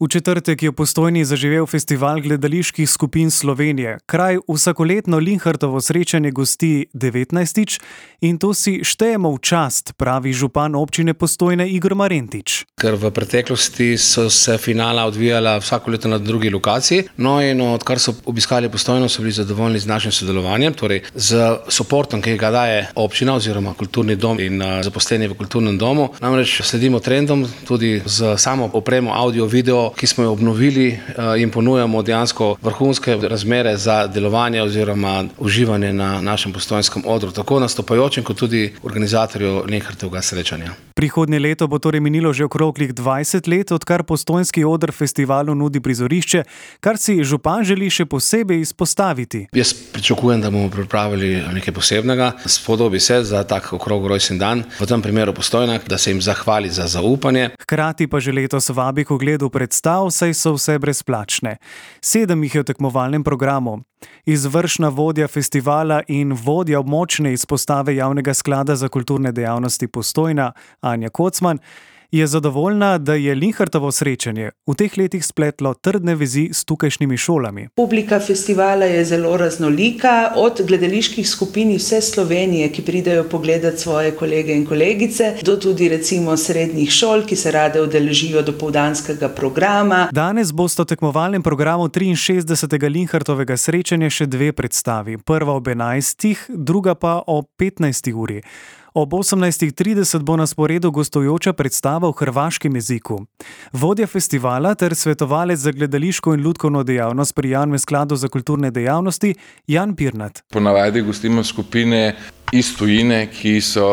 V četrtek je v Postojni zaživel festival gledaliških skupin Slovenije. Kraj vsakoletno Linhartovo srečanje gosti 19. in to si štejemo v čast, pravi župan občine Postojne Igor Marentič. Ker v preteklosti so se finala odvijala vsako leto na drugi lokaciji. No in odkar so obiskali Postojno, so bili zadovoljni z našim sodelovanjem, torej z suportom, ki ga daje občina oziroma kulturni dom in zaposleni v kulturnem domu. Namreč sledimo trendom tudi z samo opremo audio, video, ki smo jo obnovili in ponujamo dejansko vrhunske razmere za delovanje oziroma uživanje na našem postojnskem odru, tako nastopajočim kot tudi organizatorju Linhartovega srečanja. Prihodnje leto bo torej minilo že okroglih 20 let, odkar postojnski oder festivalu nudi prizorišče, kar si župan želi še posebej izpostaviti. Jaz pričakujem, da bomo pripravili nekaj posebnega. Spodobi se za tak okrog rojstni dan, v tem primeru Postojna, da se jim zahvali za zaupanje. Hkrati pa že letos vabi k ogledu predstav, saj so vse brezplačne. 7 jih je v tekmovalnem programu. Izvršna vodja festivala in vodja območne izpostave Javnega sklada za kulturne dejavnosti Postojna, Anja Kocman, je zadovoljna, da je Linhartovo srečanje v teh letih spletlo trdne vezi s tukajšnjimi šolami. Publika festivala je zelo raznolika, od gledaliških skupin iz vse Slovenije, ki pridejo pogledat svoje kolege in kolegice, do tudi recimo srednjih šol, ki se rade udeležijo dopoldanskega programa. Danes bosta v tekmovalnem programu 63. Linhartovega srečanja še 2 predstavi. Prva ob 11, druga pa ob 15. uri. Ob 18:30 bo na sporedu gostujoča predstava v hrvaškem jeziku. Vodja festivala ter svetovalec za gledališko in lutkovno dejavnost pri Javnem skladu za kulturne dejavnosti Jan Pirnat. Ponavadi gostimo skupine iz tujine, ki so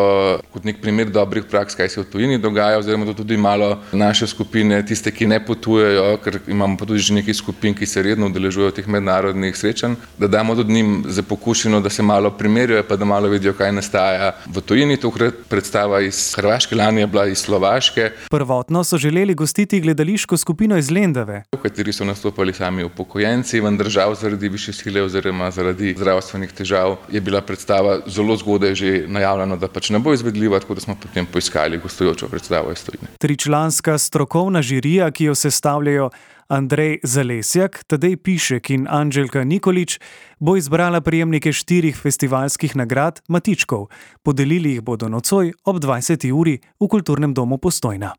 kot nek primer dobrih praks, kaj se v tujini dogaja, oziroma to tudi malo naše skupine, tiste, ki ne potujejo, ker imamo pa tudi že nekaj skupin, ki se redno udeležujejo teh mednarodnih srečanj, da damo tudi njim za pokušino, da se malo primerjajo, pa da malo vidijo, kaj nastaja v tujini. Tokrat predstava iz Hrvaške, lani je bila iz Slovaške. Prvotno so želeli gostiti gledališko skupino iz Lendave, v kateri so nastopali sami upokojenci, vendar žal zaradi višje sile oziroma zaradi zdravstvenih težav je bila predstava zelo zgodaj že najavljeno, da pač ne bo izvedljiva, tako da smo potem poiskali gostujočo predstavo iz tujine. 3-članska strokovna žirija, ki jo sestavljajo Andrej Zalesjak, Tadej Pišek in Anđelka Nikolič, bo izbrala prejemnike 4 festivalskih nagrad Matičkov. Podelili jih bodo nocoj ob 20. uri v Kulturnem domu Postojna.